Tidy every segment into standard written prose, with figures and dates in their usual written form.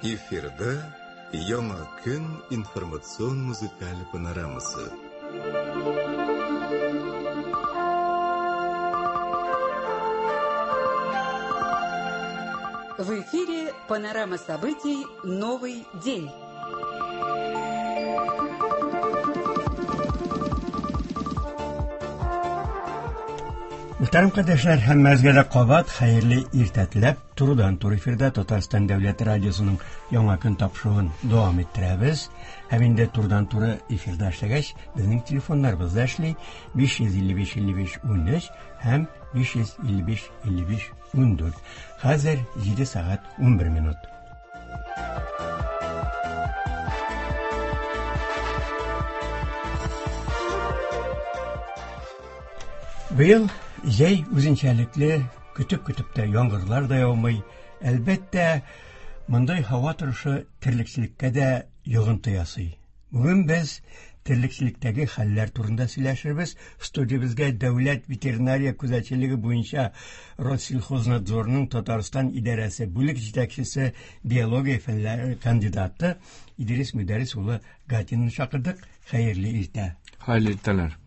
Эфирда Яңа көн информацион музыкаль панорамасы. В эфире панорама событий «Новый день». Мөхтәрәм кардәшләр, һәммәгезгә дә кабат хәерле иртә теләп, турыдан-туры эфирда Татарстан дәүләт радиосының Яңа көн тапшыруын дәвам иттерәбез. Һәм инде турыдан-туры эфирда эшләгәч, безнең телефоннарыбыз да эшли: 555 55 13 һәм 555 55 14. Хәзер 7 сәгать 11 минут. Быел җәй үзенчәлекле, көтеп-көтеп тә яңгырлар да яумый. Әлбәттә, мондый һава торышы терлекчелеккә дә йогынты ясый. Бүген без терлекчелектәге хәлләр турында сөйләшербез. Студиябезгә Дәүләт ветеринария күзәтчелеге буенча Россельхознадзорның Татарстан идарәсе бүлек җитәкчесе, биология фәннәре кандидаты Идрис Мөдәррис улы Гатинны чакырдык. Хәерле иртә. Хәерле иртәләр.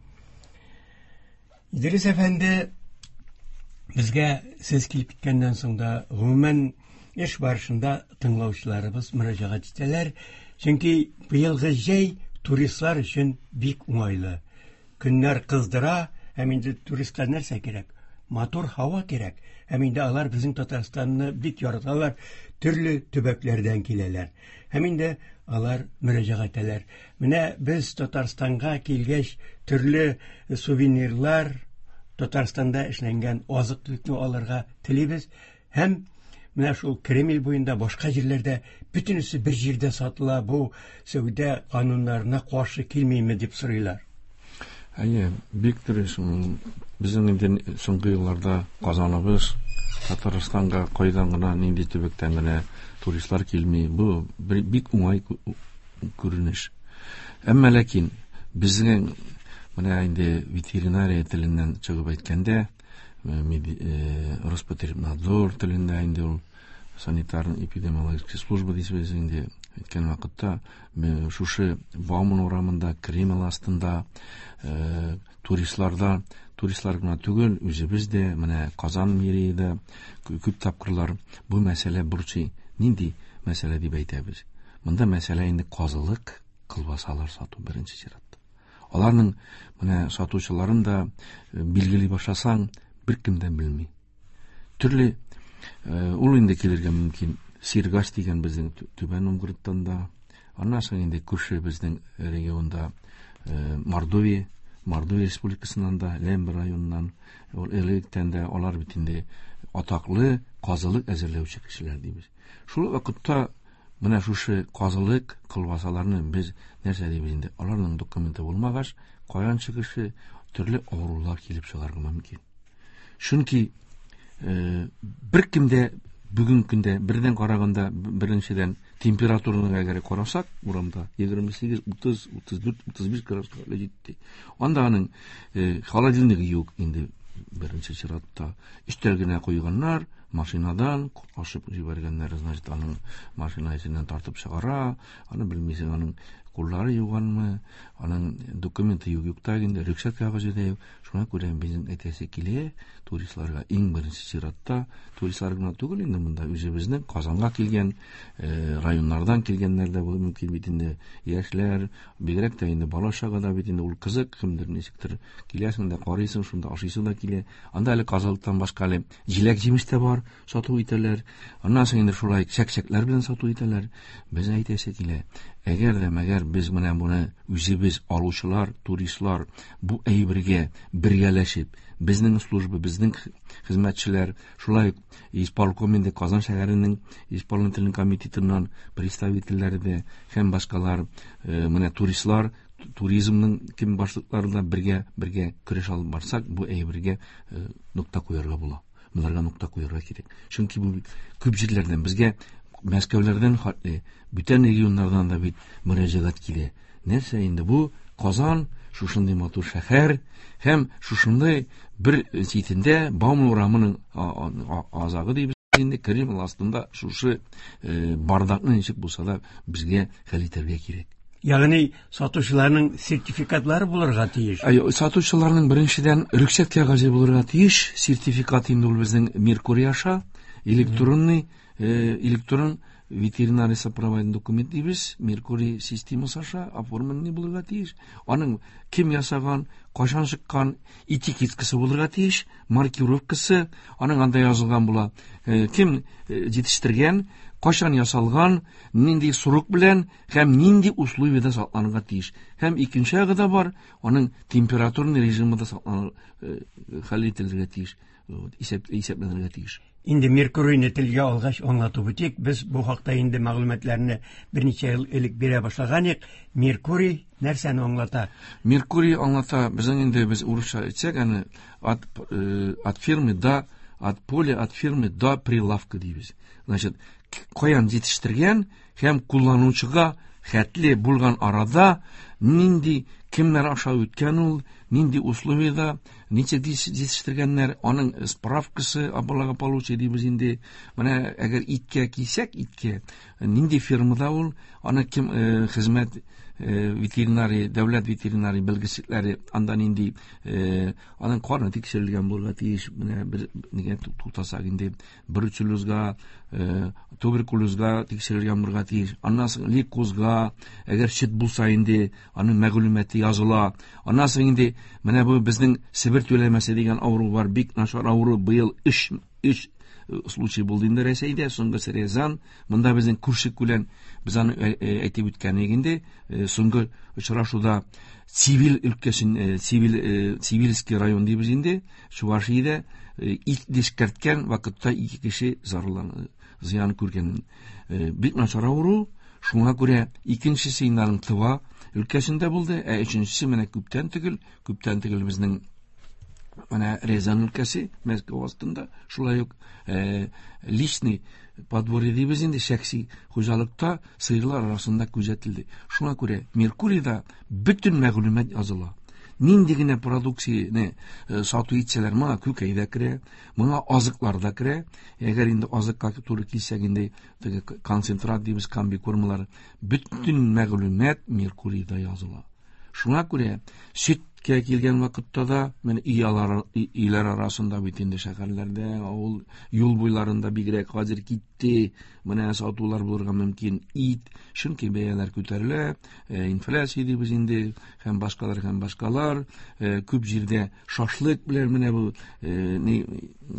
Идрис әфәнде, безгә сез килеп киткәннән соң да, гомумән, эш барышында тыңлаучыларыбыз мөрәҗәгать итәләр. Чөнки быелгы җәй туристлар өчен бик уңайлы. Көннәр кыздыра, һәм инде туристка нәрсә кирәк? Матур һава кирәк. Һәм инде алар безнең Татарстанны бик яраталар, төрле төбәкләрдән киләләр. Һәм инде алар мөрәҗәгать итәләр. Менә без Татарстанга килгәч, төрле сувенирлар, Татарстанда эшләнгән азык-төлекне алырга телибез. Һәм менә шул Кремль буенда, башка җирләрдә бөтенесе бер җирдә сатыла, бу сәүдә кануннарына каршы килмиме дип сорыйлар. Әйе, бик дөрес. Безнең инде соңгы елларда Казаныбыз Татарстанга кайдан гына, нинди төбәктән генә туристлар килми. Бу бик уңай күренеш. Әмма ләкин безнең менә инде ветеринария теленнән чыгып әйткәндә, Роспотребнадзор телендә инде ул санитарно-эпидемиологическая служба дисез инде әйткән вакытта, шушы Бауман урамында, Кремль астында туристларда, туристлар гына түгел, үзебез дә, менә Казан мэрияда күп тапкырлар бу мәсьәлә борчый. Нинди мәсьәлә дип әйтәбез? Монда мәсьәлә инде казылык, колбасалар сату беренче чиратта. Аларның менә сатучыларын да билгели башласаң, беркем дә белми. Төрле ул инде килергә мөмкин. Сиргач дигән безнең Түбән Новгородтан да, аннан соң инде күрше безнең регионда Мордовия, Мордовия республикасыннан да, Лембер районыннан, ул электән дә алар бит инде атаклы казылык әзерләүче кешеләр дибез. Шул вакытта менә шушы казылык колбасаларны без нәрсә дибез инде? Аларның документы булмагач, каян чыгышы, төрле авырулар килеп чыгарга мөмкин. Чөнки бер кемдә бүген көндә бердән караганда, беренчедән температураны әгәр карасак, урамда 28, 30, 34, 35 градуска җитте. Анда аның холодильнигы юк инде беренче чиратта. Өстәл генә куйганнар, машинадан ашып җибәргәннәр, значит, аның машина эченнән тартып чыгара, аны белмисең, аның куллары юганмы, аның документы юк, юк та инде, рөхсәт кәгазе дә юк. Шуңа күрә безнең әйтәсе килә, туристларга иң беренче чиратта, туристлар гына түгел инде монда үзебезнең Казанга килгән, районнардан килгәннәр дә булуы мөмкин бит инде, яшьләр, бигрәк тә инде бала чага да бит инде ул кызык, кемдер ничектер киләсең дә карыйсың, шунда ашыйсы да килә. Анда әле казылыктан башка әле җиләк-җимеш тә бар, сату итәләр. Аннан соң инде шулай чәк-чәкләр белән сату итәләр. Без әйтәсе килә, әгәр дә мәгәр без менә моны үзебез алучылар, туристлар бу әйбергә бергәләшеп, безнең служба, безнең хезмәтчеләр, шулай ук исполком инде Казан шәһәренең исполнительный комитетыннан представительләре дә һәм башкалар, менә туристлар, туризмның кем башлыклары да бергә көрәш алып барсак, бу әйбергә нокта куярга була. Боларга нокта куярга кирәк. Чөнки бу күп җирләрдән безгә Мәскәүләрдән хәтле бүтән регионнардан да бит мөрәҗәгать килә. Нәрсә инде бу Казан, шушындый матур шәһәр һәм шушындый бер читендә Бауман урамының азагы дибез. Инде Кремль астында шушы бардакны ничек булса да безгә хәл итәргә кирәк. Ягъни сатучыларның сертификатлары булырга тиеш. Әй, сатучыларның беренчедән рөхсәт кәгазе булырга тиеш. Сертификат инде ул безнең Меркурий аша, электронный, электрон ветеринарий сопроводительный документ дибез, Меркурий системасы аша оформленный булырга тиеш. Аның кем ясаган, кайчан чыккан этикеткасы булырга тиеш, маркировкасы, аның анда язылган була. Кем җитештергән, кайчан ясалган, нинди срок белән һәм нинди условиядә сакланырга тиеш. Һәм икенче ягы да бар, аның температурный режимы да сакланыр, хәл ителергә тиеш, исәпләнергә тиеш. Инде Меркурийны телгә алгач аңлатып үтик, без бу хакта инде мәгълүматларны берничә ел элек бирә башлаган идек. Меркурий нәрсәне аңлата? Меркурий аңлата, безнең инде без урысча әйтсәк, аны от фирмы до, от поля, от фирмы до прилавка дибез. Значит, каян җитештергән һәм кулланучыга хәтле булган арада нинди кемнәр аша үткән ул, нинди условиядә, ничек җитештергәннәр, аның справкасы благополучие дибез инде. Менә әгәр иткә килсәк, иткә нинди фирмада ул, аны кем хезмәт ветеринарий, дәүләт ветеринарий белгечлекләре анда нинди, аның каны тикшерелгән булырга тиеш. Менә бер нигә туктасак инде, бруцеллезга, туберкулезга тикшерелгән булырга тиеш. Аннан соң лейкозга, әгәр сөт булса инде, аның мәгълүматы языла. Аннан соң инде менә бу безнең Себер түләмәсе дигән авыру бар, бик начар авыру, быел 3 случай булды инде Рәсәйдә, соңгысы Рязан. Монда безнең күрше күлән, без аны әйтеп үткән идек инде, соңгы очрашуда Цивиль өлкәсен, Цивильский район дибез инде, Чувашиядә ит эшкәрткән вакытта 2 кеше зарланды, зыян күргән. Бик начар авыру, шуңа күрә икенчесе инде аның Тыва өлкәсендә булды, ә өченчесе менә күптән түгел, күптән түгел безнең менә Рязан өлкәсе, Мәскәү астында, шулай ук личный подворье дибез инде, шәхси хуҗалыкта сыерлар арасында күзәтелде. Шуңа күрә Меркурийда бөтен мәгълүмат языла. Нинди генә продукцияне сату итсәләр, моңа күкәй дә керә, моңа азыклар да керә. Әгәр инде азыкка туры килсәк инде, теге концентрат дибез, комбикормалар, бөтен мәгълүмат Меркурийда языла. Шуңа күрә сөткә килгән вакытта да, менә өйләр арасында бит инде шәһәрләрдә, авыл юл буйларында бигрәк хәзер китте, менә сатулар булырга мөмкин ит, чөнки бәяләр күтәрелә, инфляция дибез инде, һәм башкалар, һәм башкалар, күп җирдә шашлык белән менә бу ни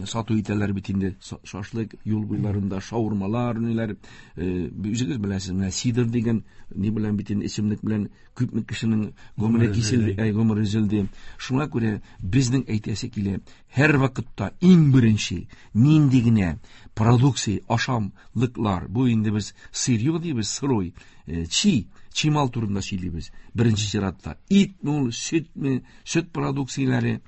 сату итәләр бит инде, шашлык юл буйларында, шаурмалар, ниләр, үзегез беләсез, менә сидр дигән ни белән бит инде эчемлек белән күпме кешенең гомере киселде, гомере өзелде. Шуңа күрә безнең әйтәсе килә, һәр вакытта иң беренче нинди генә продукция, ашамлыклар, бу инде без сырье дибез, сырой, чимал турында сөйлибез. Беренче чиратта итме ул, сөтме, сөт продукцияләре,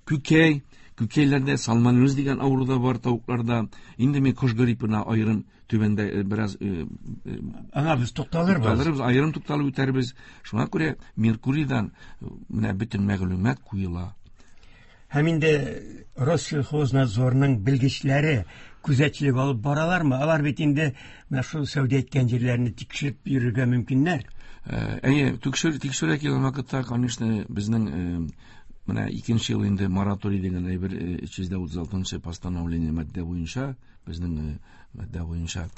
күкәй, күкәйләрдә сальмонеллез дигән авыру да бар тавыкларда. Инде мин кош гриппына аерым түбәндә бераз, Аңа без тукталырбыз. Тукталырбыз, аерым тукталып үтәрбез. Шуңа күрә Меркурийдан менә бөтен мәгълүмат куела. Һәм инде Россельхознадзорның белгечләре күзәтчелек алып баралармы? Алар бит инде менә шул сәүдә иткән җирләрне тикшереп йөрергә мөмкиннәр. Әйе, тикшерә килгән вакытта, конечно, безнең менә икенче ел инде мораторий дигән әйбер, өч йөз дә утыз алтынчы постановление маддә буенча, безнең маддә буенча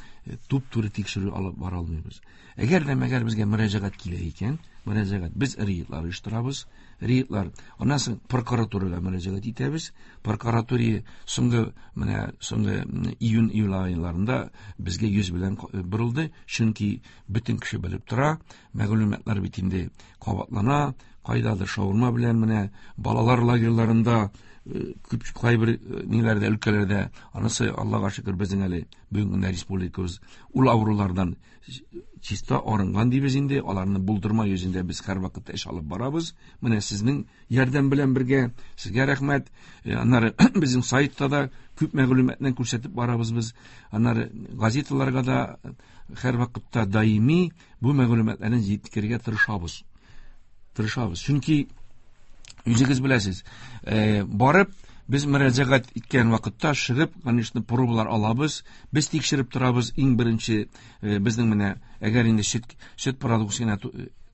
туп-туры тикшерү алып бара алмыйбыз. Әгәр дә мәгәр безгә мөрәҗәгать килә икән, мөрәҗәгать, без рейдлар оештырабыз, рейдлар, аннан соң прокуратурага мөрәҗәгать итәбез. Прокуратура соңгы, менә соңгы июнь, июль айларында безгә йөз белән борылды, чөнки бөтен кеше белеп тора, мәгълүматлар бит инде кабатлана, кайдадыр шаурма белән менә балалар лагерьларында күп кайбер ниләрдә, өлкәләрдә, анысы Аллага шөкер безнең әле бүгенге көндә республикабыз ул авырулардан чиста арынган дибез инде, аларны булдырма йөзендә без һәр вакытта эш алып барабыз. Менә сезнең ярдәм белән бергә, сезгә рәхмәт. Аннары безнең сайтта да күп мәгълүматны күрсәтеп барабыз без. Аннары газеталарга да һәр вакытта даими бу мәгълүматларны җиткерергә тырышабыз. Тырышабыз. Чөнки үзегез беләсез, барып Без мөрәҗәгать иткән вакытта чыгып, конечно, пробалар алабыз. Без тикшереп торабыз. Иң беренче безнең менә әгәр инде сөт продукциясенә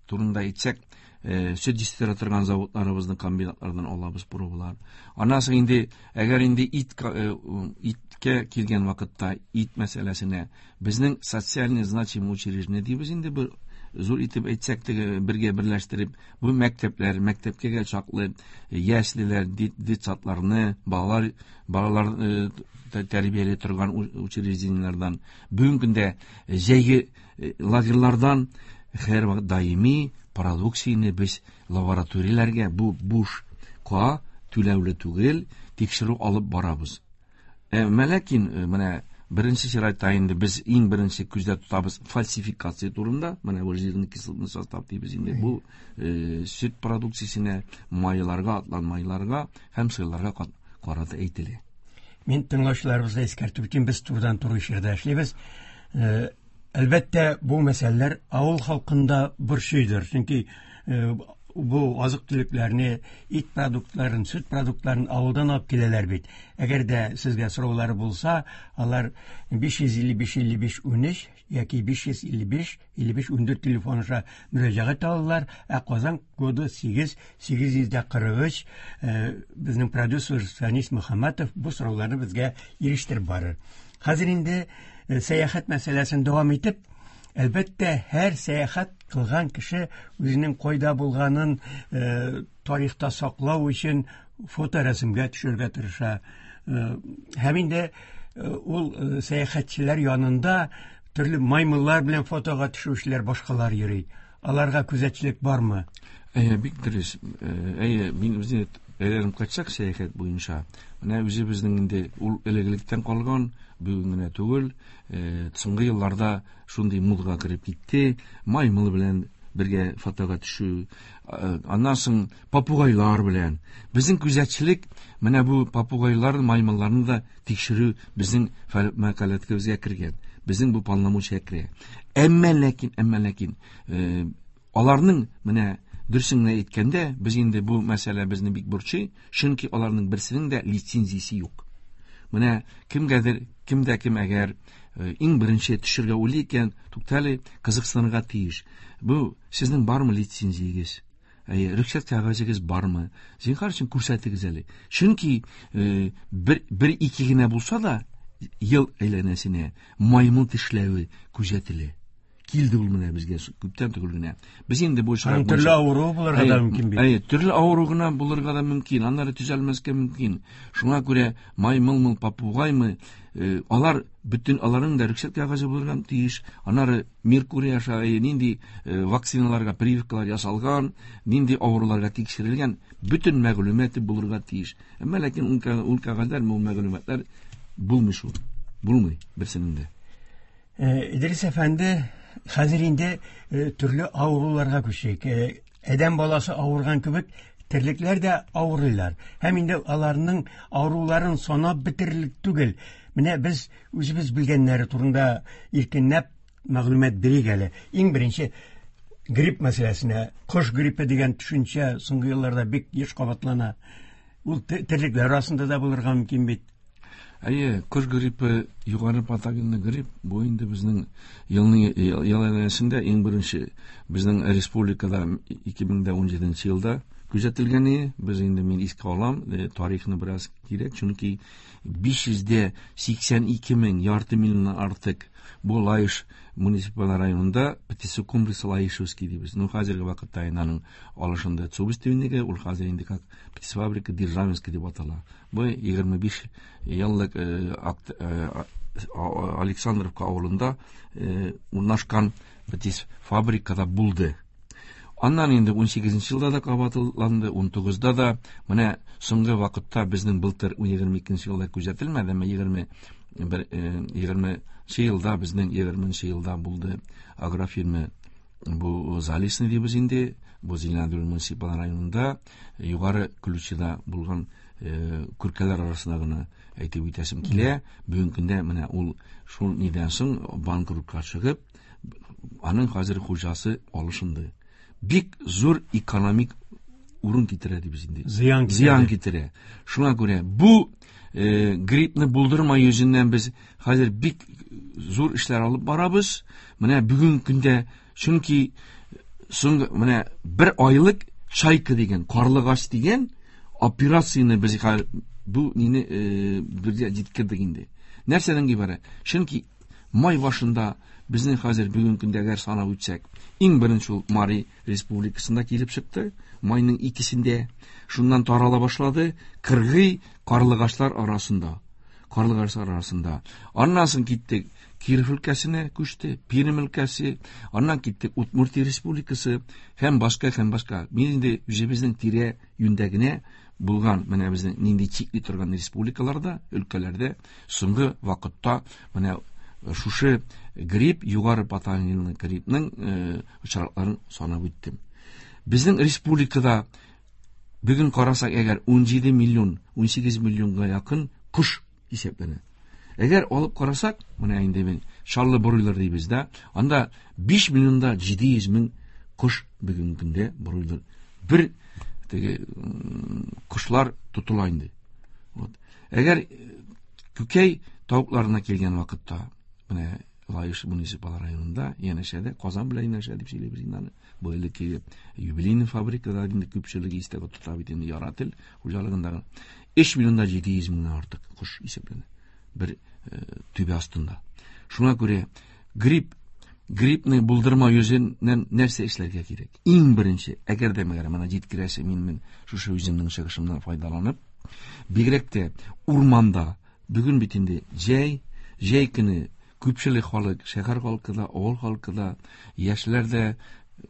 турында әйтсәк, сөт җитештерә торган заводларыбызның комбинатлардан алабыз пробалар. Аннан соң инде әгәр инде иткә килгән вакытта ит мәсьәләсенә безнең социальный значимый учреждение дибез инде, бер зур итеп әйтсәк, теге бергә берләштереп, бу мәктәпләр, мәктәпкә чаклы яслеләр, детсадларны, балалар тәрбияли торган учреждениеләрдән, бүгенге көндә җәйге лагерьлардан һәрвакыт даими продукцияне без лабораторияләргә бу бушка түләүле түгел тикшерү алып барабыз. Ләкин менә беренче чиратта инде без иң беренче күздә тотабыз фальсификация турында. Менә бу жирный кислотный состав дибез инде. Бу сөт продукциясенә, майларга, атланмайларга һәм сырларга карата әйтелә. Мин тыңлаучыларыбызга искәртеп үтим, без турыдан-туры эфирда эшлибез. Әлбәттә, бу мәсьәләләр авыл халкында борчыйдыр. Чөнки бу азык-төлекләрне, ит продуктларын, сөт продуктларын авылдан алып киләләр бит. Әгәр дә сезгә сораулары булса, алар 555 55 13 яки 555 55 14 телефон аша мөрәҗәгать алалар. Ә Казан коды 8 843, безнең продюсер Фәнис Мөхәммәтов бу сорауларны безгә ирештереп барыр. Хәзер инде сәяхәт мәсьәләсен дәвам итеп, әлбәттә, һәр сәяхәт кылган кеше үзенең кайда булганын тарихта саклау өчен фоторәсемгә төшерергә тырыша. Һәм инде ул сәяхәтчеләр янында төрле маймыллар белән фотога төшүчеләр, башкалар йөри. Аларга күзәтчелек бармы? Әйе, бик дөрес. Әйе, мин үзем әйләнеп кайтсак сәяхәт буенча, менә үзебезнең инде ул элек-электән калган, бүген генә түгел, соңгы елларда шундый модага кереп китте. Маймыл белән бергә фотога төшү, аннан соң попугайлар белән. Безнең күзәтчелек менә бу попугайлар, маймылларны да тикшерү безнең мәкаләтебезгә кергән. Безнең бу полномочия керә. Әмма ләкин, аларның менә дөресен генә әйткәндә, без инде бу мәсьәлә безне бик борчый, чөнки аларның берсенең дә лицензиясе юк. Менә кемгәдер, кемдә кем әгәр иң беренче төшергә уйлый икән, туктале, кызыксынырга тиеш. Бу сезнең бармы лицензиягез? Әйе, рөхсәт кәгазегез бармы? Зинһар өчен күрсәтегез әле. Чөнки бер ике генә булса да, ел әйләнәсенә маймыл тешләве күзәтелә. Килде ул менә безгә күптән түгел генә. Без инде бу очрак төрле авыру булырга да мөмкин бит. Әйе, төрле авыру гына булырга да мөмкин, аннары төзәлмәскә мөмкин. Шуңа күрә маймылмы, попугаймы, алар бөтен аларның да рөхсәт кәгазе булырга тиеш. Аннары Меркурий аша нинди вакциналарга прививкалар ясалган, нинди авыруларга тикшерелгән, бөтен мәгълүматы булырга тиеш. Әмма ләкин ул кәгазьләр, ул мәгълүматлар булмый шул. Булмый берсенең дә. Идрис әфәнде, хәзер инде төрле авыруларга күчик. Адәм баласы авырган кебек, терлекләр дә авырыйлар. Һәм инде аларның авыруларын санап бетерерлек түгел. Менә без үзебез белгәннәре турында иркенләп мәгълүмат бирик әле. Иң беренче грипп мәсьәләсенә. Кош гриппы дигән төшенчә соңгы елларда бик еш кабатлана. Ул терлекләр арасында да булырга мөмкин бит. Әйе, кош гриппы, югары патогенлы грипп, бу инде безнең елның ел әйләнәсендә иң беренче безнең республикада 2017 елда күзәтелгәне. Без инде мин искә алам, тарихны бераз кирәк, чөнки 582 мең, ярты миллионнан артык бу Лаеш муниципаль районында птицекомплекс Лаешевский дибез. Ну, хәзерге вакытта инде аның алышында Цубис дигәнеге, ул хәзер инде как птицефабрика Державинский дип атала. Бу 25 еллык Александровка авылында урнашкан птицефабрикада булды. Аннан инде 18 елда да кабатланды, 19-да да. Менә соңгы вакытта безнең былтыр 22 елда күзәтелмәде, әмма егерменче елда безнең егерменче елда булды агрофирма бу Залесный дибез инде, бу Зеленодол муниципаль районында Югары Ключида булган күркәләр арасында гына әйтеп үтәсем килә. Бүгенге көндә менә ул шул нидән соң банкротка чыгып, аның хәзер хуҗасы алышынды. Бик зур экономик урын китерә дибез инде. Зыян китерә. Зыян китерә. Шуңа күрә бу гриппны булдырма йөзеннән без хәзер бик зур эшләр алып барабыз. Менә бүген көндә, чөнки соңгы менә бер айлык Чайка дигән, карлыгач дигән операцияне без хәзер бу нине бергә җиткердек инде. Нәрсәдән гыйбарәт? Чөнки май башында безнең хәзер бүген көндә әгәр санап үтсәк, иң беренче ул Мари республикасында килеп чыкты, майның 2-сендә. Шуннан тарала башлады кыргый карлыгачлар арасында. Карлыгачлар арасында. Аннан соң киттек Киров өлкәсенә күчте, Пермь өлкәсе, аннан киттек Удмуртия республикасы һәм башка, һәм башка. Мин инде үзебезнең тирә юньдә генә булган, менә безнең нинди чикли торган республикаларда, өлкәләрдә соңгы вакытта менә шушы грипп, югары патогенлы гриппның очракларын санап үттем. Безнең республикада бүген карасак, әгәр 17 миллион, 18 миллионга якын кош исәпләнә. Әгәр алып карасак, менә инде мин Чаллы бройлер дибез дә, анда 5 миллионда 700 мең кош бүгенге көндә бройлер. Бер теге кошлар тотыла инде. Вот. Әгәр күкәй тавыкларына килгән вакытта, менә Лаеш муниципаль районында, янәшәдә, Казан белән янәшә дип сөйлибез инде аны. Бу элеккеге юбилейный фабрикада инде күпчелеге истә тота бит инде Ярател хуҗалыгындагы 3 миллионда 700 меңнән артык кош исәпләнә бер түбә астында. Шуңа күрә гриппны булдырмау йөзеннән нәрсә эшләргә кирәк? Иң беренче, әгәр дә мәгәр моны җиткерәсе, мин шушы үземнең чыгышымнан файдаланып, бигрәк тә урманда, бүген бит инде җәй көне күпчелек халык, шәһәр халкы да, авыл халкы да, яшьләр дә,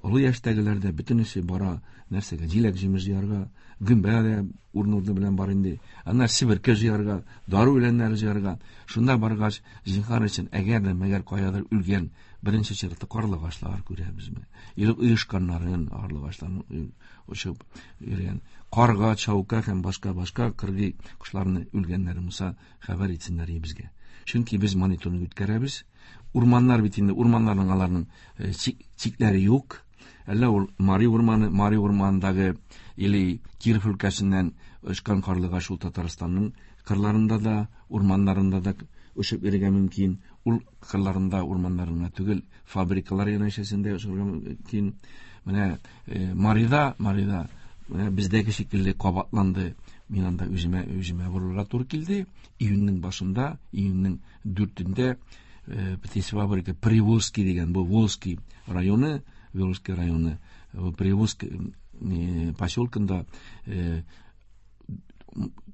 олы яшьтәгеләр дә бөтенесе бара нәрсәгә? Җиләк җимеш җыярга, гөмбә дә урын-урыны белән бар инде. Аннан себерке җыярга, дару үләннәре җыярга. Шунда баргач, зинһар өчен, әгәр дә мәгәр каядыр үлгән беренче чиратта карлыгачлар күрәбезме? Или оешканнарын, карлыгачларны очып йөргән карга, чаука һәм башка-башка кыргый кошларны үлгәннәре булса, хәбәр итсеннәр безгә. Чөнки без мониторинг үткәрәбез. Урманнар бит инде, урманнарның аларның чикләре юк. Әллә ул Мари урманы, Мари урманындагы или Киров өлкәсеннән очкан карлыгач ул Татарстанның кырларында да, урманнарында да очып йөрергә мөмкин. Ул кырларында, урманнарында түгел, фабрикалар янәшәсендә очырга мөмкин. Менә Марида менә бездәге шикелле кабатланды. Мин анда үземә борылырга туры килде. Июньнең башында, июньнең 4-ндә птицефабрика Приволжский дигән, бу Волжский районы, Волжский районы, бу Приволжский поселкында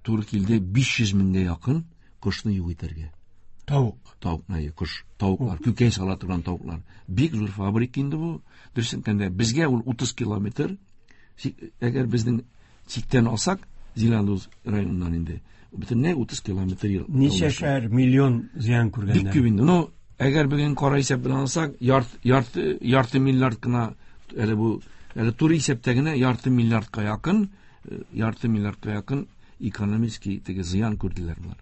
туры килде 500 меңгә якын кошны юк итәргә. Тавык. Тавык, әйе, кош, тавыклар, күкәй сала торган тавыклар. Бик зур фабрика инде бу. Дөресен әйткәндә, безгә ул 30 километр. Әгәр безнең чиктән алсак, Зеландоз районыннан инде, бөтенләй 30 километр ел Ничәшәр миллион зыян күргәннәр? Бик күп инде. Әгәр бүген кара исәп белән алсак, ярты миллиард кына, әле бу, әле туры исәптә генә ярты миллиардка якын ярты миллиардка якын экономический теге зыян күрделәр болар.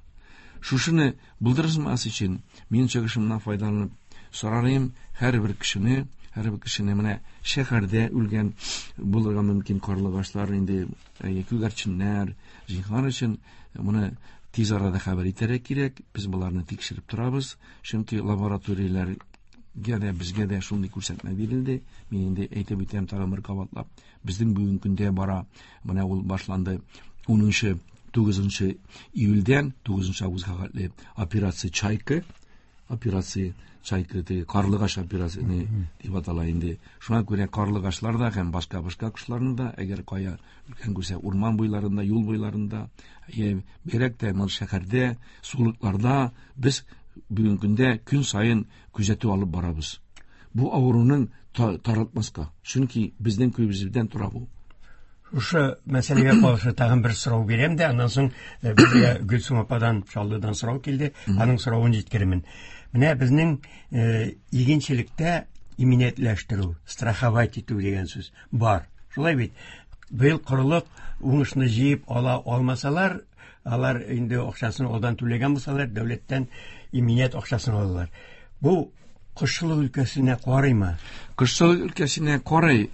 Шушыны булдырмас өчен мин чыгышымнан файдаланып сорарым һәрбер кешене, һәрбер кешене менә шәһәрдә үлгән булырга мөмкин карлыгачлар инде, күгәрченнәр, зинһар өчен моны тиз арада хәбәр итәргә кирәк. Без боларны тикшереп торабыз, чөнки лабораторияләргә дә, безгә дә шундый күрсәтмә бирелде. Мин инде әйтеп үтәм тагын бер кабатлап. Безнең бүгенге көндә бара, менә ул башланды унынчы, тугызынчы июльдән тугызынчы августка хәтле операция Чайка, операция Чайка, теге карлыгач операция дип атала инде. Шуңа күрә карлыгачлар да һәм башка-башка кошларны да, әгәр кая үлгән күрсә, урман буйларында, юл буйларында, бигрәк тә моны шәһәрдә, сулыкларда без бүгенге көндә көн саен күзәтү алып барабыз. Бу авыруның таратмаска, чөнки безнең күбебездән тора бу. Шушы мәсьәләгә каршы тагын бер сорау бирәм дә, аннан соң безгә Гөлсем ападан, Чаллыдан сорау килде, аның соравын җиткерермен. Менә безнең игенчелектә иминиятләштерү, страховать итү дигән сүз бар. Шулай бит. Быел корылык уңышны җыеп ала алмасалар, алар инде акчасын алдан түләгән булсалар, дәүләттән иминият акчасын алалар. Бу кошчылык өлкәсенә карыймы? Кошчылык өлкәсенә карый.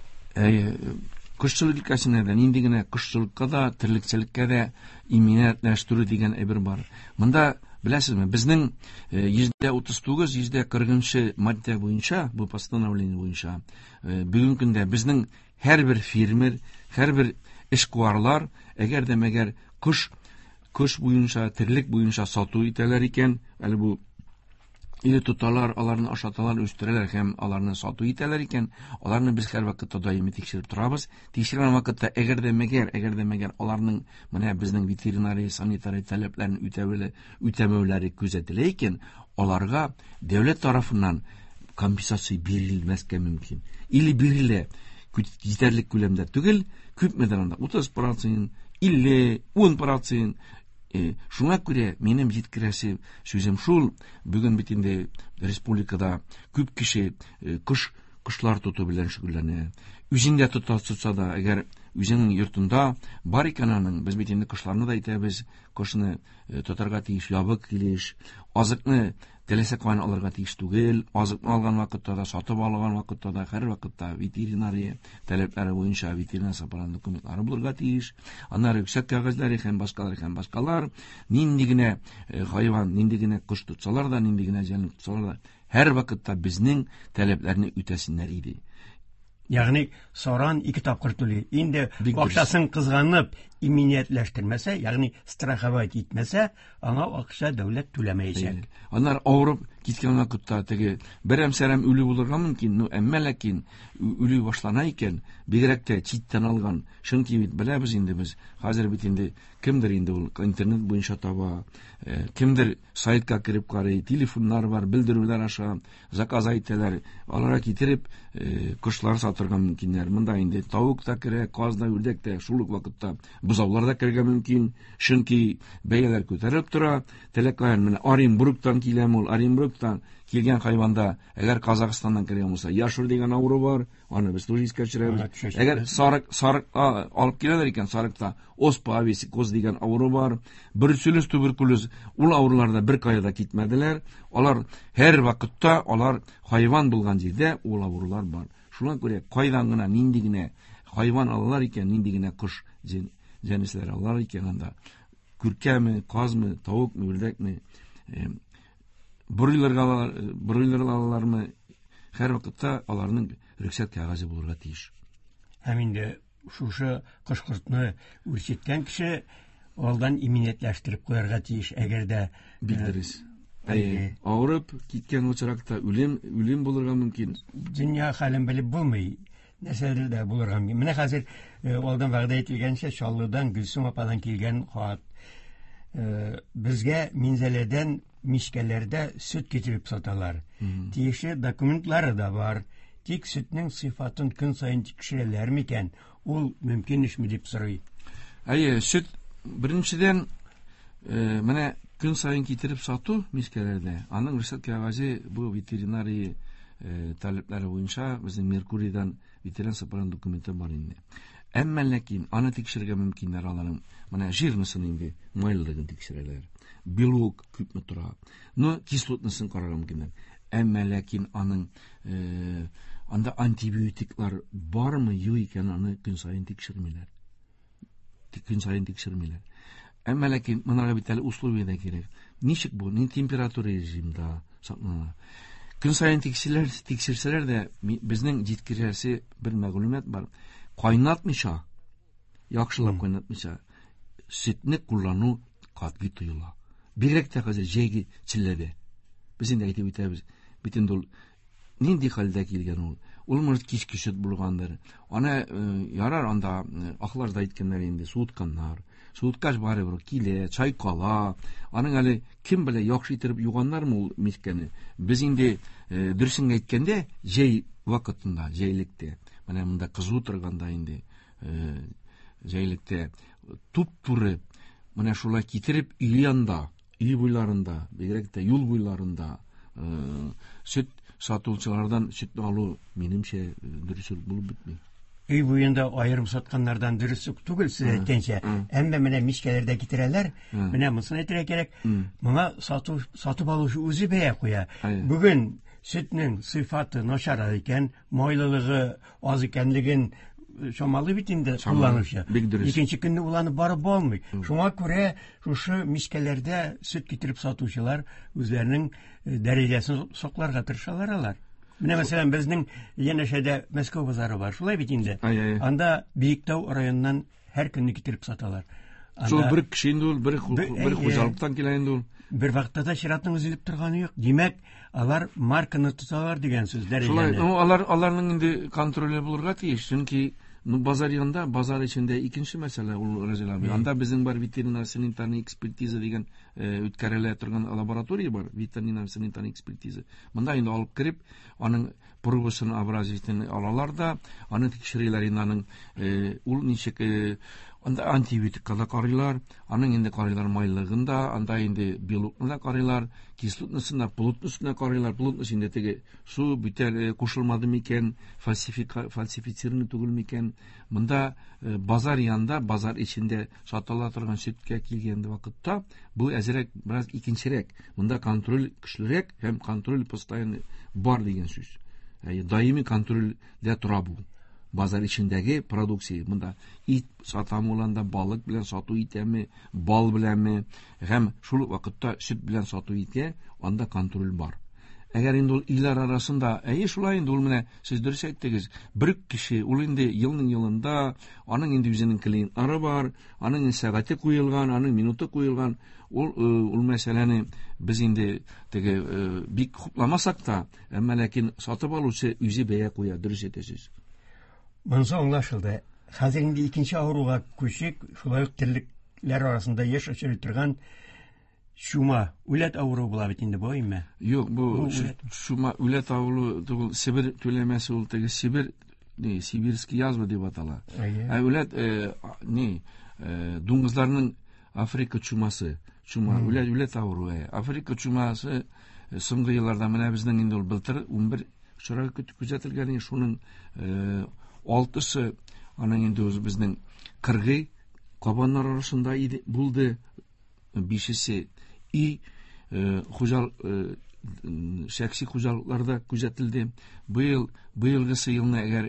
Кошчылык өлкәсендә дә нинди генә кошчылыкка да, терлекчелеккә дә иминиятләштерү дигән әйбер бар. Монда беләсезме, безнең 139, 140 маддә буенча, бу постановление буенча, бүгенге көндә безнең һәрбер фермер, һәрбер эшкуарлар, әгәр дә мәгәр кош буенча, терлек буенча сату итәләр икән, әле бу или тоталар, аларны ашаталар, үстерәләр һәм аларны сату итәләр икән, аларны без һәр вакытта даими тикшереп торабыз. Тикшергән вакытта әгәр дә мәгәр аларның менә безнең ветеринария, санитария таләпләрен үтәмәүләре күзәтелә икән, аларга дәүләт тарафыннан компенсация бирелмәскә мөмкин. Или бирелә җитәрлек күләмдә түгел, күпмедер анда 30%, 50, 10%. Шуңа күрә минем җиткерәсе сүзем шул, бүген бит инде республикада күп кеше кошлар тоту белән шөгыльләнә. Үзен дә тотса да, әгәр үзенең йортында бар икән аның, без бит инде кошларны да әйтәбез, кошны тотарга тиеш ябык килеш, азыкны теләсә каян алырга тиеш түгел, азыкны алган вакытта да, сатып алган вакытта да, һәр вакытта ветеринария таләпләре буенча ветеринар сапалан документлары булырга тиеш, аннары рөхсәт кәгазьләре һәм башкалар һәм башкалар. Нинди генә хайван, нинди генә кош тотсалар да, нинди генә җәнлек тотсалар да, һәр вакытта безнең таләпләрне үтәсеннәр иде. Ягъни саран ике тапкыр түли. Инде акчасын кызганып иминиятләштермәсә, ягъни страховать итмәсә, аңа акча дәүләт түләмәячәк. Аннары авырып киткән вакытта теге берәм-сәрәм үлү булырга мөмкин, ну әмма ләкин үлү башлана икән, бигрәк тә читтән алган. Чөнки бит беләбез инде без, хәзер бит инде кемдер инде ул интернет буенча таба, кемдер сайтка кереп карый, телефоннар бар, белдерүләр аша заказ әйтәләр, аларга китереп кошлар сатырга мөмкиннәр. Монда инде тавык та керә, каз да, үрдәк тә, шул ук вакытта бозаулар да керергә мөмкин, чөнки бәяләр күтәрелеп тора. Теләккән менә Оренбургтан киләм ул, Оренбургтан килгән хайванда, әгәр Казахстаннан кергән булса, яшур дигән авыру бар, аны без тоже искә төшерәбез. Әгәр сарык алып киләләр икән, сарыкта оспа, висикоз дигән авыру бар, бруцеллез, туберкулез, ул авырулар да бер кая да китмәделәр. Алар һәр вакытта, алар хайван булган җирдә ул авырулар бар. Шуңа күрә кайдан гына, нинди генә хайван алалар икән, нинди генә кош җәнлекләр алалар икән, анда күркәме, казмы, тавыкмы, үрдәкме, бройлер алалармы, һәр вакытта аларның рөхсәт кәгазе булырга тиеш. Һәм инде шушы кош-кортны үрчеткән кеше алдан иминиятләштереп куярга тиеш, әгәр дә бик дөрес. Авырып киткән очракта үлем булырга мөмкин. Дөнья хәлен белеп булмый, нәрсәдер дә булырга мөмкин. Менә хәзер алдан вәгъдә ителгәнчә Чаллыдан Гөлсем ападан килгән хат. Безгә Минзәләдән мичкәләрдә сөт китереп саталар. Тиешле документлары да бар. Тик сөтнең сыйфатын көн саен тикшерәләр микән? Ул мөмкин эшме дип сорый. Әйе, сөт беренчедән менә көн саен китереп сату мичкәләрдә, аның рөхсәт кәгазе бу ветеринария таләпләре буенча безнең Меркурийдан ветеринар сапаран документы бар инде. Әмма ләкин аны тикшерергә мөмкиннәр аларның. Менә жирнысын инде, майлылыгын тикшерәләр. Белок күпме тора. Но кислотнысын карарга мөмкиннәр. Әмма ләкин аның анда антибиотиклар бармы, юк икән, аны көн саен тикшермиләр. Көн саен тикшермиләр. Әмма ләкин монарга бит әле условия дә кирәк. Ничек бу? Ни температура режимда саклана? Көн саен тикшерсәләр дә, безнең җиткерәсе бер мәгълүмат бар. Кайнатмыйча, яхшылап кайнатмыйча, сөтне куллану катгый тыела. Бигрәк тә хәзер җәйге челләдә. Без инде әйтеп үтәбез, бит инде ул нинди хәлдә килгән ул? Ул может кичке сөт булгандыр. Аны ярар анда ахлар да әйткәннәр инде, суытканнар. Суыткач барыбер килә, чайкала. Аның әле кем белә яхшы итеп юганнармы ул мискәне? Без инде дөресен әйткәндә, җәй вакытында, җәйлектә, менә монда кызу торганда инде, җәйлектә туп-туры менә шулай китереп өй янында, өй буйларында, бигрәк тә юл буйларында сөт сатучылардан сөтне алу минемчә дөрес булып бетми. Өй буенда аерым сатканнардан дөрес үк түгел, сез әйткәнчә. Әмма менә мичкәләрдә китерәләр. Менә монысын әйтергә кирәк. Моңа сатып алучы үзе бәя куя. Бүген сөтнең сыйфаты начар икән, майлылыгы аз икәнлеген чамалы бит инде кулланучы. Бик дөрес. Икенче көнне ул аны барып алмый. Шуңа күрә шушы мичкәләрдә сөт китереп сатучылар үзләренең дәрәҗәсен сакларга тырышалар алар. Менә мәсәлән безнең янәшәдә Мәскәү базары бар. Шулай бит инде. Анда Биектау районыннан һәр көнне китереп саталар. Шул бер кеше инде ул, бер хуҗалыктан килә инде ул. Бер вакытта да чиратның өзелеп торганы юк. Димәк, алар марканы тоталар дигән сүз дәрәҗәне. Шулай, ну алар аларның инде контроле булырга тиеш, чөнки ну базар янында, базар эчендә икенче мәсьәлә ул Разил абый. Анда безнең бар ветеринар санитарный экспертиза дигән үткәрелә торган лаборатория бар, ветеринар санитарный экспертиза. Монда инде алып кереп, аның пробасын образецын алалар да, аны тикшерәләр инде аның ул ничек анда антибиотикка да карыйлар, аның инде карыйлар майлыгын да, анда инде белокны да карыйлар, кислотнысын да, плотностын да карыйлар. Плотность инде теге су бүтән кушылмады микән, фальсифицированный түгел микән. Монда базар янында, базар эчендә сатыла торган сөткә килгән вакытта бу әзрәк бераз икенчерәк. Монда контроль көчлерәк һәм контроль постоянный бар дигән сүз. Даими контрольдә тора бу. Базар эчендәге продукция. Монда ит сатамы ул анда, балык белән сату итәме, бал беләнме, һәм шул ук вакытта сөт белән сату итә, анда контроль бар. Әгәр инде ул илләр арасында, әйе шулай инде ул менә сез дөрес әйттегез, бер кеше ул инде елның елында, аның инде үзенең клиентлары бар, аның инде сәгате куелган, аның минуты куелган. Ул ул мәсьәләне без инде теге бик хупламасак та, әмма ләкин сатып алучы үзе бәя куя, дөрес әйтәсез. Монысы аңлашылды. Хәзер инде икенче авыруга күчик, шулай ук терлекләр арасында еш очрый торган чума, үләт авыруы була бит инде бу, әйме? Юк, бу чума үләт авыруы түгел, Себер түләмәсе ул теге Себер, ни, сибирский язва дип атала. Ә үләт ни, дуңгызларның Африка чумасы, чума, үләт авыруы. Африка чумасы соңгы елларда менә безнең инде ул былтыр 11 очрак күзәтелгән, шуның 6-сы аның инде үзе безнең кыргый кабаннар арасында иде, булды, 5-се и шәхси хуҗалыкларда күзәтелде. Быел, быелгысы елны әгәр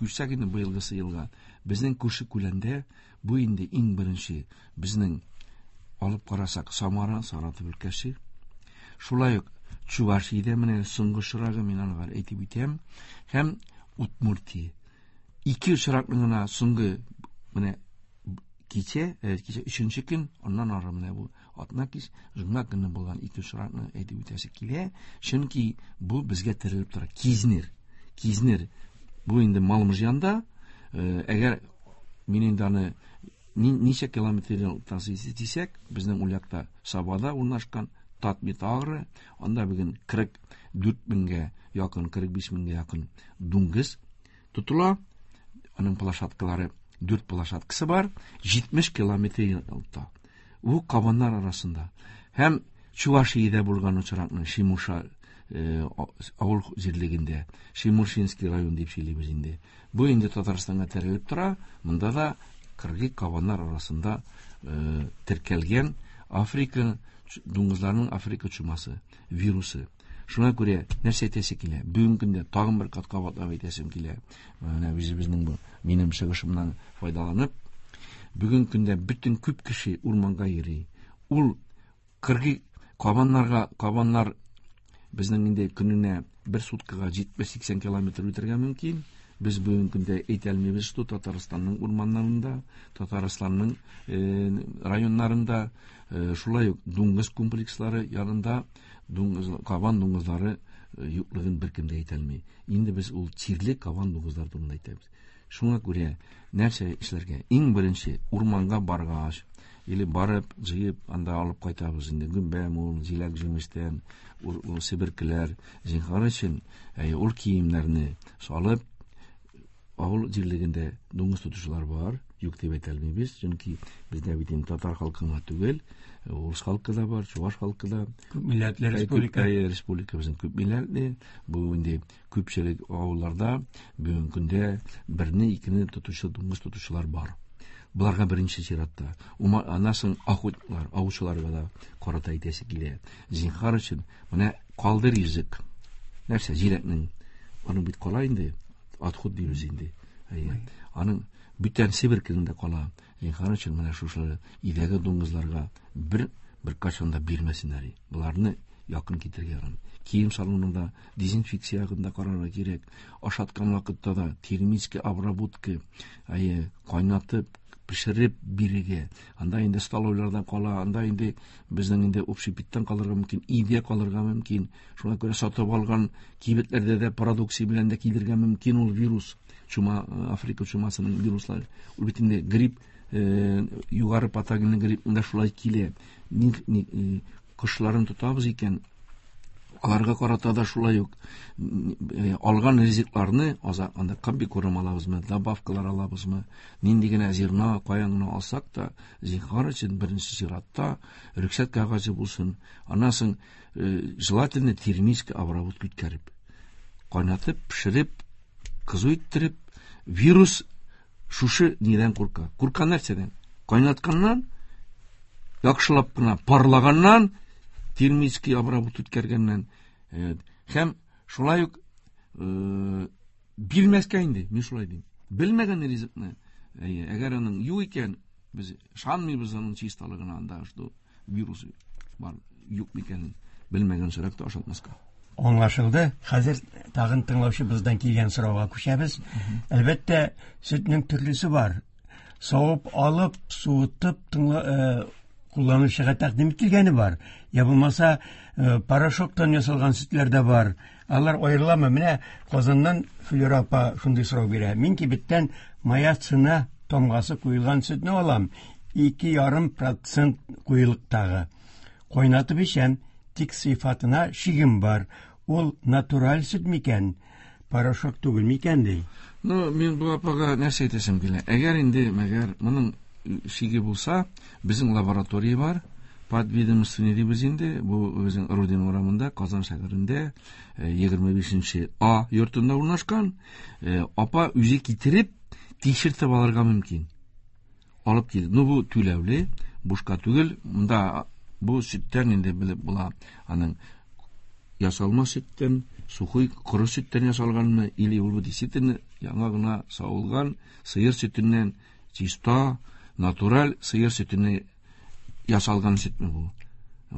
күчсәк инде быелгысы елга, безнең күрше күләндә бу инде иң беренче безнең алып карасак Самара, Саратов өлкәсе. Шулай ук Чувашиядә менә соңгы очрагы мин аны әйтеп үтәм, һәм Удмуртия. Ике очракны гына соңгы менә кичә, кичә өченче көн, аннан ары менә бу атна кич, җомга көнне булган ике очракны әйтеп үтәсе килә, чөнки бу безгә терелеп тора. Кизнер. Кизнер. Бу инде Малмыжъянда, әгәр мин инде аны ничә километр дисәк, безнең ул якта Сабада урнашкан Татмит-Агро, анда бүген 44 меңгә якын, 45 меңгә якын дуңгыз тотыла. Аның площадкалары, 4 площадкасы бар, 70 километр елта. Бу кабаннар арасында. Һәм Чувашиядә булган очракны Шимуша авыл җирлегендә, Шимуршинский район дип сөйлибез инде. Бу инде Татарстанга терелеп тора. Монда да кыргый кабаннар арасында теркәлгән Африка дуңгызларының Африка чумасы вирусы. Шуңа күрә нәрсә әйтәсе килә? Бүгенге көндә тагын бер кат кабатлап әйтәсем килә. Менә үзебезнең бу минем чыгышымнан файдаланып, бүгенге көндә бөтен күп кеше урманга йөри. Ул кыргый кабаннарга, кабаннар безнең инде көненә бер суткага 70-80 километр үтәргә мөмкин. Без бүгенге көндә әйтә алмыйбыз, что Татарстанның урманнарында, Татарстанның районнарында, шулай ук дуңгыз комплекслары янында дуңгыз, кабан дуңгызлары юклыгын беркем дә әйтә алмый. Инде без ул чирле кабан дуңгызлар турында әйтәбез. Шуңа күрә нәрсә эшләргә? Иң беренче урманга баргач, или барып җыеп анда алып кайтабыз инде гөмбә, мул, җиләк җимештән, ул себеркеләр, зинһар өчен, ул киемнәрне салып, авыл җирлегендә дуңгыз тотучылар бар, юк дип әйтә алмыйбыз, чөнки бездә бит инде татар халкы гына түгел, урыс халкы да бар, чуваш халкы да. Күп милләтле республика. Республика безнең күп милләтле. Бу инде күпчелек авылларда бүгенге көндә берне, икене тотучы, дуңгыз тотучылар бар. Буларга беренче чиратта. Аннан соң охотниклар, аучыларга да карата әйтәсе килә. Зинһар өчен менә калдыр язык. Нәрсә, җиләкнең аның бит кала инде, отход дибез инде. Әйе. Аның бүтән Себер көнендә кала. Зинһар өчен менә шушы өйдәге дуңгызларга бер беркайчан да бирмәсеннәр. Боларны якын китерергә ярамый. Кием салонында дезинфекция ягында карарга кирәк. Ашаткан вакытта да термический обработка, әйе, кайнатып, пешереп бирергә. Анда инде столовыйларда кала, анда инде безнең инде общепиттан калырга мөмкин, өйдә калырга мөмкин. Шуңа күрә сатып алган кибетләрдә дә продукция белән дә килергә мөмкин ул вирус. Чума, Африка чумасының вируслары. Ул бит инде грипп, югары патогенлы грипп да шулай килә. Кошларын тотабыз икән, аларга карата да шулай ук алган ризыкларны анда комбикорм алабызмы, добавкалар алабызмы, нинди генә зерно, каян гына алсак та, зинһар өчен беренче чиратта рөхсәт кәгазе булсын. Аннан соң желательно термический обработка үткәреп, кайнатып, пешереп, кызу иттереп, вирус шушы нидән курка? Курка нәрсәдән? Кайнатканнан, яхшылап кына парлаганнан, термический обработка үткәргәннән. Һәм шулай ук бирмәскә инде, мин шулай дим. Белмәгән ризыкны, әгәр аның юк икән, без ышанмыйбыз аның чисталыгына, анда что вирус бар, юк микәнен белмәгән очракта ашатмаска. Аңлашылды. Хәзер тагын тыңлаучыбыздан килгән сорауга күчәбез. Әлбәттә, сөтнең төрлесе бар. Савып алып, суытып, кулланучыга тәкъдим ителгәне бар. Я булмаса, порошоктан ясалган сөтләр дә бар. Алар аерыламы? Менә Казаннан Флюра апа шундый сорау бирә. Мин кибеттән моя цена тамгасы куелган сөтне алам. 2,5% куелыктагы. Кайнатып эчәм, тик сыйфатына шигем бар. Ул натураль сөт микән? Порошок түгел микән ди. Ну, мин бу апага нәрсә әйтәсем килә. Әгәр инде, мәгәр моның шиге булса, безнең лаборатория бар. Подведомственный дибез инде. Бу безнең Родина урамында, Казан шәһәрендә, 25 А йортында урнашкан. Апа үзе китереп, тикшертеп алырга мөмкин. Алып килде. Ну, бу түләүле, бушка түгел. Монда бу сөттән инде белеп була. Аның ясалма сөттән, сухой коры сөттән ясалганмы, или ул бу действительно яңа гына савылган сыер сөтеннән, чиста, натураль сыер сөтеннән ясалган сөтме бу?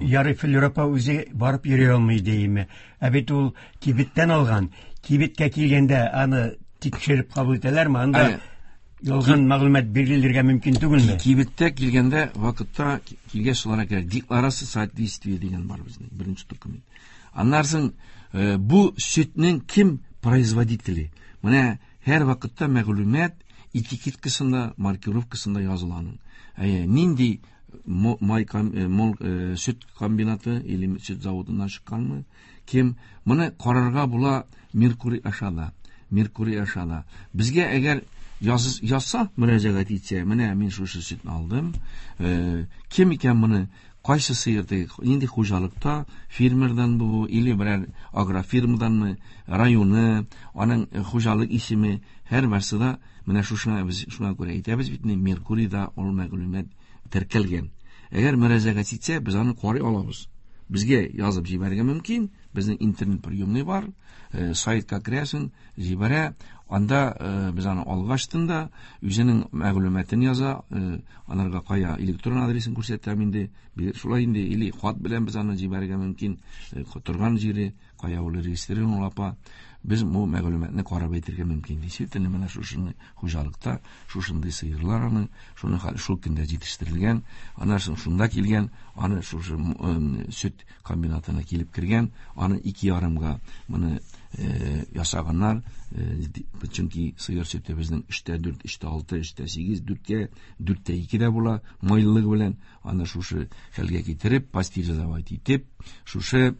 Ярый, Флюра апа үзе барып йөри алмый дейме. Ә бит ул кибеттән алган. Кибеткә килгәндә аны тикшереп кабул итәләрме? Анда ялган мәгълүмат бирелергә мөмкин түгелме? Кибеттә килгәндә вакытта килгәч шуларга кирәк. Декларация соответствия дигән бар безнең беренче документ. Аннан соң бу сөтнең кем производители? Менә һәр вакытта мәгълүмат этикеткасында, маркировкасында языла аның. Нинди май сөт комбинаты или сөт заводыннан чыкканмы? Кем? Моны карарга була Меркурий аша да. Меркурий аша да. Безгә әгәр язса, мөрәҗәгать итсә, менә мин шушы сөтне алдым. Кем икән моны? Кайсы сыер теге, нинди хуҗалыкта, фермердан бу, или берәр агрофирмаданмы, районы, аның хуҗалык исеме, һәр берсе дә менә шушына без шуңа күрә әйтәбез бит, Меркурийда ул мәгълүмат теркәлгән. Әгәр мөрәҗәгать итсә, без аны карый алабыз. Безгә язып җибәрергә мөмкин, безнең интернет приемный бар, сайтка керәсең, җибәрә, анда без аны алгачтын да үзенең мәгълүматын яза, анарга кая электрон адресын күрсәтәм инде, шулай инде, или хат белән без аны җибәрергә мөмкин, торган җире, кая ул регистрирован ул апа, без бу мәгълүматны карап әйтергә мөмкин. Действительно, менә шушыны хуҗалыкта, шушындый сыерлар аның, шуны шул көндә җитештерелгән, аннан соң шунда килгән, аны шушы сөт комбинатына килеп кергән, аны ике ярымга моны ясаганнар, чөнки сыер сөте безнең өчтә дүрт, өчтә алты, өчтә сигез, дүрткә, дүрттә ике дә була, майлылыгы белән аны шушы хәлгә китереп, пастеризовать итеп, шушы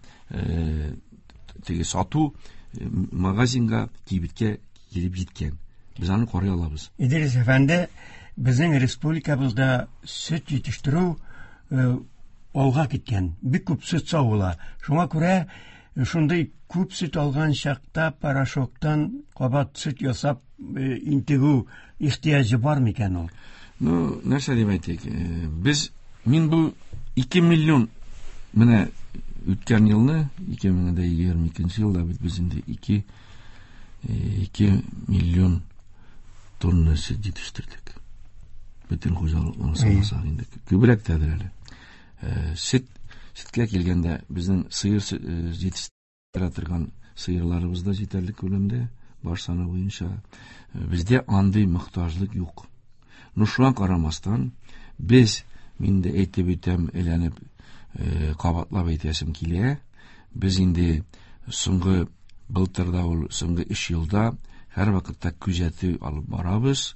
теге сату магазинга, кибеткә килеп җиткән. Без аны карый алабыз. Идрис әфәнде, безнең республикабызда сөт җитештерү алга киткән. Бик күп сөт савыла. Шуңа күрә шундый күп сөт алган чакта порошоктан кабат сөт ясап интегү ихтыяҗы бар микән ул? Ну, нәрсә дип әйтик? Без, мин бу 2 миллион менә үткән елны, 2022 елда бит без инде 2 миллион Тонна сөт җитештердек. Бөтен хуҗалыкларны санасак инде күбрәк тәдер әле. Сөт, сөткә килгәндә безнең сыер җитештерә торган сыерларыбыз да җитәрлек күләмдә, баш саны буенча. Бездә андый мохтаҗлык юк. Но шуңа карамастан, без, мин дә әйтеп үтәм, әйләнеп, кабатлап әйтәсем килә, без инде соңгы былтырда ул соңгы 3 елда һәрвакытта күзәтү алып барабыз.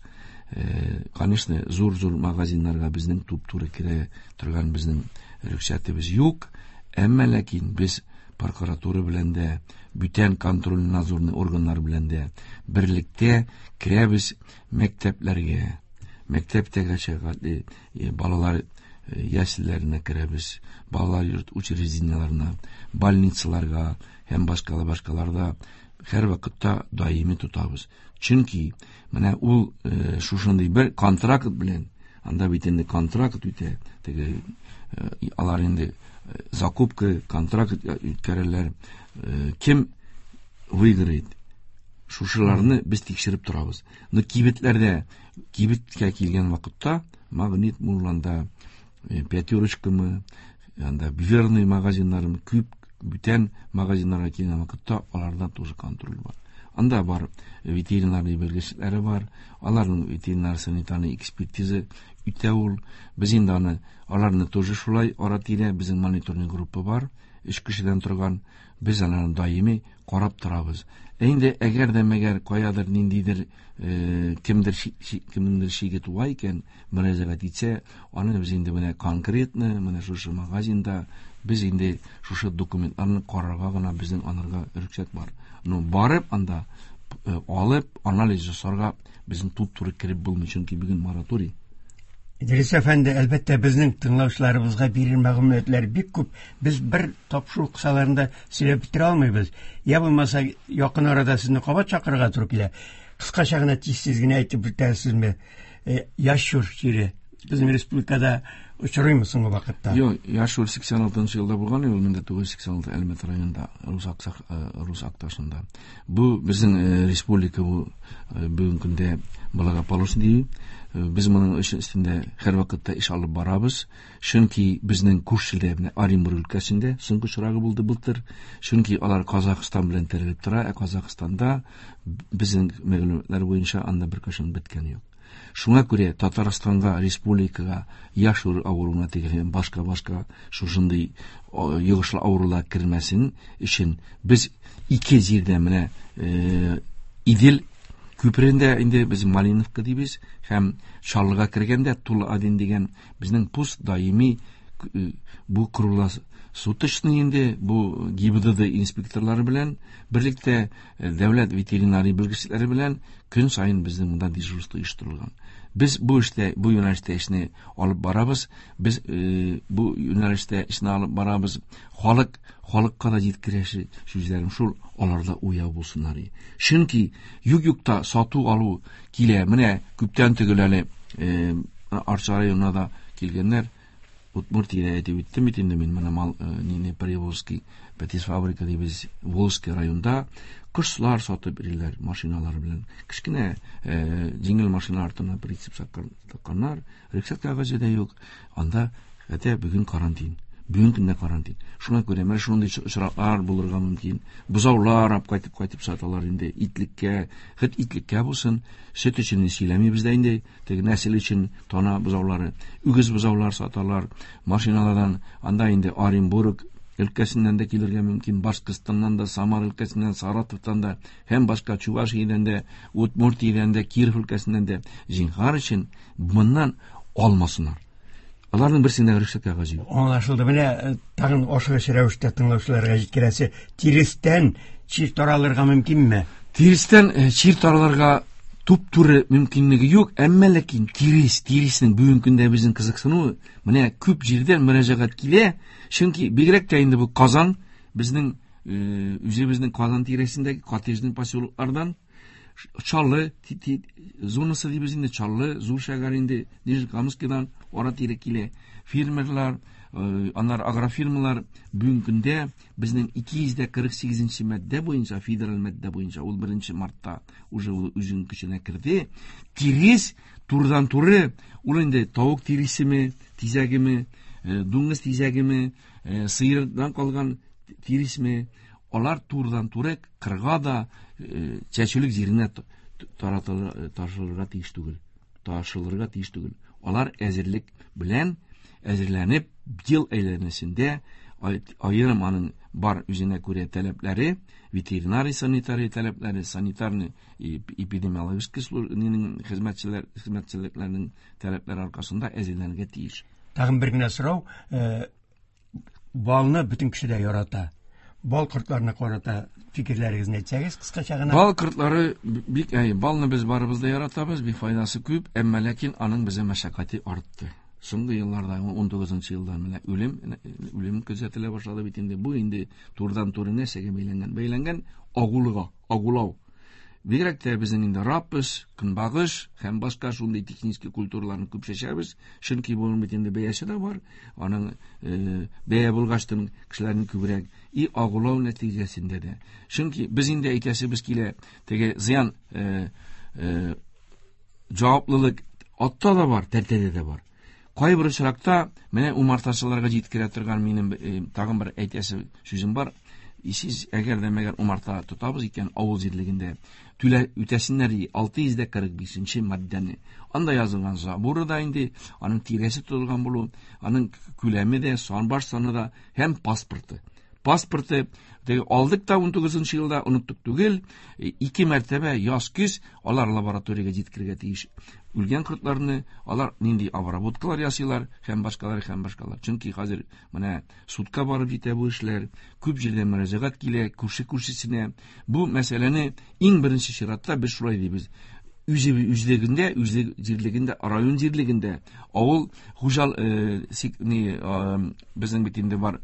Конечно, зур-зур магазиннарга безнең туп-туры керә торган безнең рөхсәтебез юк, әмма ләкин без прокуратура белән дә, бүтән контроль-надзорный органнар белән дә берлектә керәбез мәктәпләргә. Мәктәптәге чагы балалар ясләренә керәбез, балалар йорт учреждениеләренә, больницаларга һәм башкалар-башкаларда һәр вакытта даими тотабыз. Чөнки менә ул шушындый бер контракт белән, анда бит инде контракт үтә, теге алар инде закупка, контракт үткәрәләр. Кем выиграет? Шушыларны без тикшереп торабыз. Но кибетләрдә, кибеткә килгән вакытта, Магнит Мурланда, Пятерочкамы, анда Верный магазиннарым, күп бүтән магазиннарга килгән вакытта аларда тоже контроль бар. Анда бар ветеринарный белгечләре бар, аларның ветеринар санитарный экспертиза үтә ул. Без инде аны, аларны тоже шулай ара-тирә, безнең мониторинг группа бар, 3 кешедән торган, без аларны даими карап торабыз. Ә инде әгәр дә мәгәр каядыр ниндидер, кемдер кемнеңдер шиге туа икән, мөрәҗәгать итсә, аны без инде менә конкретно, менә шушы магазинда без инде шушы документларны карарга гына безнең анарга рөхсәт бар. Но барып анда алып анализ ясарга безнең туп-туры кереп булмый, чөнки бүген мораторий. Идрис әфәнде, әлбәттә, безнең тыңлаучыларыбызга бирер мәгълүматлар бик күп. Без бер тапшыру кысаларында сөйләп бетерә алмыйбыз. Я булмаса, якын арада сезне кабат чакырырга туры килә. Кыскача гына тиз-тиз генә әйтеп үтәсезме? Ящур чире безнең республикада очрыймы соңгы вакытта? Юк, ящур сиксән алтынчы елда булган, ул мең дә тугыз йөз сиксән алты Әлмәт районында, Рус Акташында. Бу безнең республика бу бүгенге көндә благополучный дию. Без моның өчен өстендә һәрвакытта эш алып барабыз. Чөнки безнең күршедә, менә Оренбург өлкәсендә соңгы очрагы булды былтыр. Чөнки алар Казахстан белән терелеп тора, ә Казахстанда безнең мәгълүматлар буенча анда бер кашын беткән юк. Шуңа күрә Татарстанга, республикага ящур авыруына тигән башка-башка шушындый йогышлы авырулар кермәсен өчен без ике җирдә менә Идел күперендә инде без Малиновка дибез һәм Чаллыга кергәндә Тула один дигән безнең пост даими бу круглосуточный инде бу ГИБДД инспекторлары белән берлектә дәүләт ветеринария белгечләре белән көн саен безнең монда дежурство оештырылган. Без бу эштә, бу юнәлештә эшне алып барабыз. Без бу юнәлештә эшне алып барабыз. Халыкка да җиткерәсе сүзләрем шул, аларда уяу булсыннар. Чөнки юк-юкта сату алу килә. Менә күптән түгел әле Арча районына да килгәннәр. Удмуртиядә әйтеп үттем бит инде мин, менә мал нине Приволжский Пәтис фабрика дибез, Волжский районда кошлар сатып йөриләр машиналар белән. Кечкенә җиңел машина артына прицеп такканнар, рөхсәт кәгазе дә юк. Анда хәтта бүген карантин. Бүген көндә карантин. Шуңа күрә менә шундый очраклар булырга мөмкин. Бозаулар алып кайтып кайтып саталар инде итлеккә, хет итлеккә булсын, сөт өчен сөйләмибез дә инде, теге нәсел өчен тана бозаулары, үгез бозаулар саталар машиналардан. Анда инде Оренбург өлкәсеннән дә килергә мөмкин, Башкортстаннан да, Самар өлкәсеннән, Саратовтан да, һәм башка Чувашиядән дә, Удмуртиядән дә, Киров өлкәсеннән дә. Зинһар өчен моннан алмасыннар. Аларның берсендә рөхсәт кәгазе юк. Аңлашылды. Менә тагын ашыгыч рәвештә тыңлаучыларга җиткерәсе, тирестән чир таралырга мөмкинме? Тирестән чир таралырга туп-туры мөмкинлеге юк, әмма ләкин тиреснең бүгенге көндә безнең кызыксынуы, менә күп җирдән мөрәҗәгать килә, чөнки бигрәк тә инде бу Казан, безнең үзебезнең Казан тирәсендәге коттеджный поселоклардан, Чаллы зонасы дибез инде, Чаллы, зур шәһәр инде, Нижнекамскидан ара-тирә килә. Фермерлар, Аннары агрофирмалар бүгенге көндә безнең 248 маддә буенча, федераль маддә буенча, ул 1 мартта уже ул үзенең көченә керде. Тирес турыдан-туры, ул инде тавык тиресеме, тизәгеме, дуңгыз тизәгеме, сыердан калган тиресме, алар турыдан-туры кырга да, чәчүлек җиренә ташылырга тиеш түгел. Ташылырга тиеш түгел. Алар әзерлек белән әзерләнеп, ел әйләнәсендә аерым аның бар үзенә күрә таләпләре, ветеринарий санитарий таләпләре, санитарный эпидемиологический службаның хезмәтчелекләренең таләпләре аркасында әзерләнергә тиеш. Тагын бер генә сорау, балны бөтен кеше дә ярата. Бал кортларына карата фикерләрегезне әйтсәгез, кыскача гына. Бал кортлары бик, әй, балны без барыбыз да яратабыз, бик файдасы күп, әмма ләкин аның безгә мәшәкате артты. Соңгы елларда, 19 елда менә үлем күзәтелә башлады бит инде. Бу инде турыдан-туры нәрсәгә бәйләнгән? Бәйләнгән агулыга, агулау. Бигрәк тә безнең инде рапс, көнбагыш һәм башка шундый технический культураларны күп чәчәбез. Чөнки буның бит инде бәясе дә бар. Аның бәя булгачтын кешеләрнең күбрәк и агулау нәтиҗәсендә дә. Чөнки без инде әйтәсебез килә, теге зыян җаваплылык атта да бар, тәртәдә дә бар. Кайбер очракта менә умартачыларга җиткерә торган минем тагын бер әйтәсе сүзем бар. Сез әгәр дә мәгәр умарта тотабыз икән авыл җирлегендә, түлә үтәсеннәр ди 645 маддәне. Анда язылган заборы да инде, аның тирәсе тотылган булу, аның күләме дә, сан баш саны да һәм паспорты. Паспорты теге алдык та 19 елда оныттык түгел, ике мәртәбә яз көз алар лабораториягә җиткерергә тиеш. Үлгән кортларны алар нинди обработкалар ясыйлар һәм башкалар һәм башкалар. Чөнки хәзер менә судка барып җитә бу эшләр, күп җирдән мөрәҗәгать килә, күрше күршесенә. Бу мәсьәләне иң беренче чиратта без шулай дибез. Үзе үзлегендә, үзе җирлегендә, район җирлегендә, авыл хуҗал, ни, безнең бит инде бар,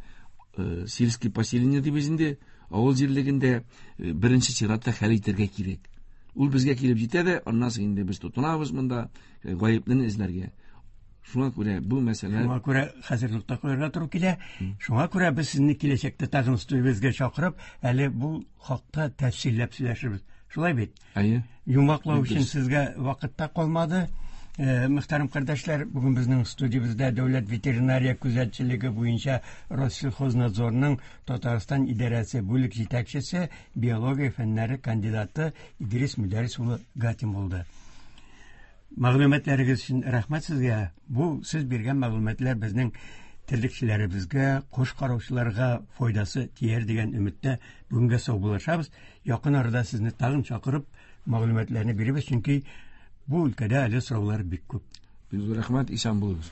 сельский поселение дибез инде, авыл җирлегендә, беренче чиратта хәл итәргә кирәк. Ул безгә килеп җитә дә, аннан соң инде без тотынабыз монда, гаеплене эзләргә. Шуңа күрә бу мәсьәлә Шуңа күрә хәзер нокта куярга туры килә. Шуңа күрә без сезне киләчәктә тагын студиябезгә чакырып, әле бу хакта тәфсилләп сөйләшербез. Шулай бит? Әйе. Йомгаклау Бик өчен дөрес. сезгә вакыт та калмады. Мөхтәрәм кардәшләр, бүген безнең студиябездә Дәүләт ветеринария күзәтчелеге буенча Россельхознадзорның Татарстан идарәсе бүлек җитәкчесе, биология фәннәре кандидаты Идрис Мөдәррис улы Гатин булды. Мәгълүматларыгыз өчен рәхмәт сезгә. Бу сез биргән мәгълүматлар безнең терлекчеләребезгә, кош караучыларга файдасы тияр дигән өметтә бүгенгә саубуллашабыз. Якын арада сезне тагын чакырып мәгълүматларны бирербез, чөнки бу өлкәдә әле сораулар бик күп. Бик зур рәхмәт, исән булыгыз.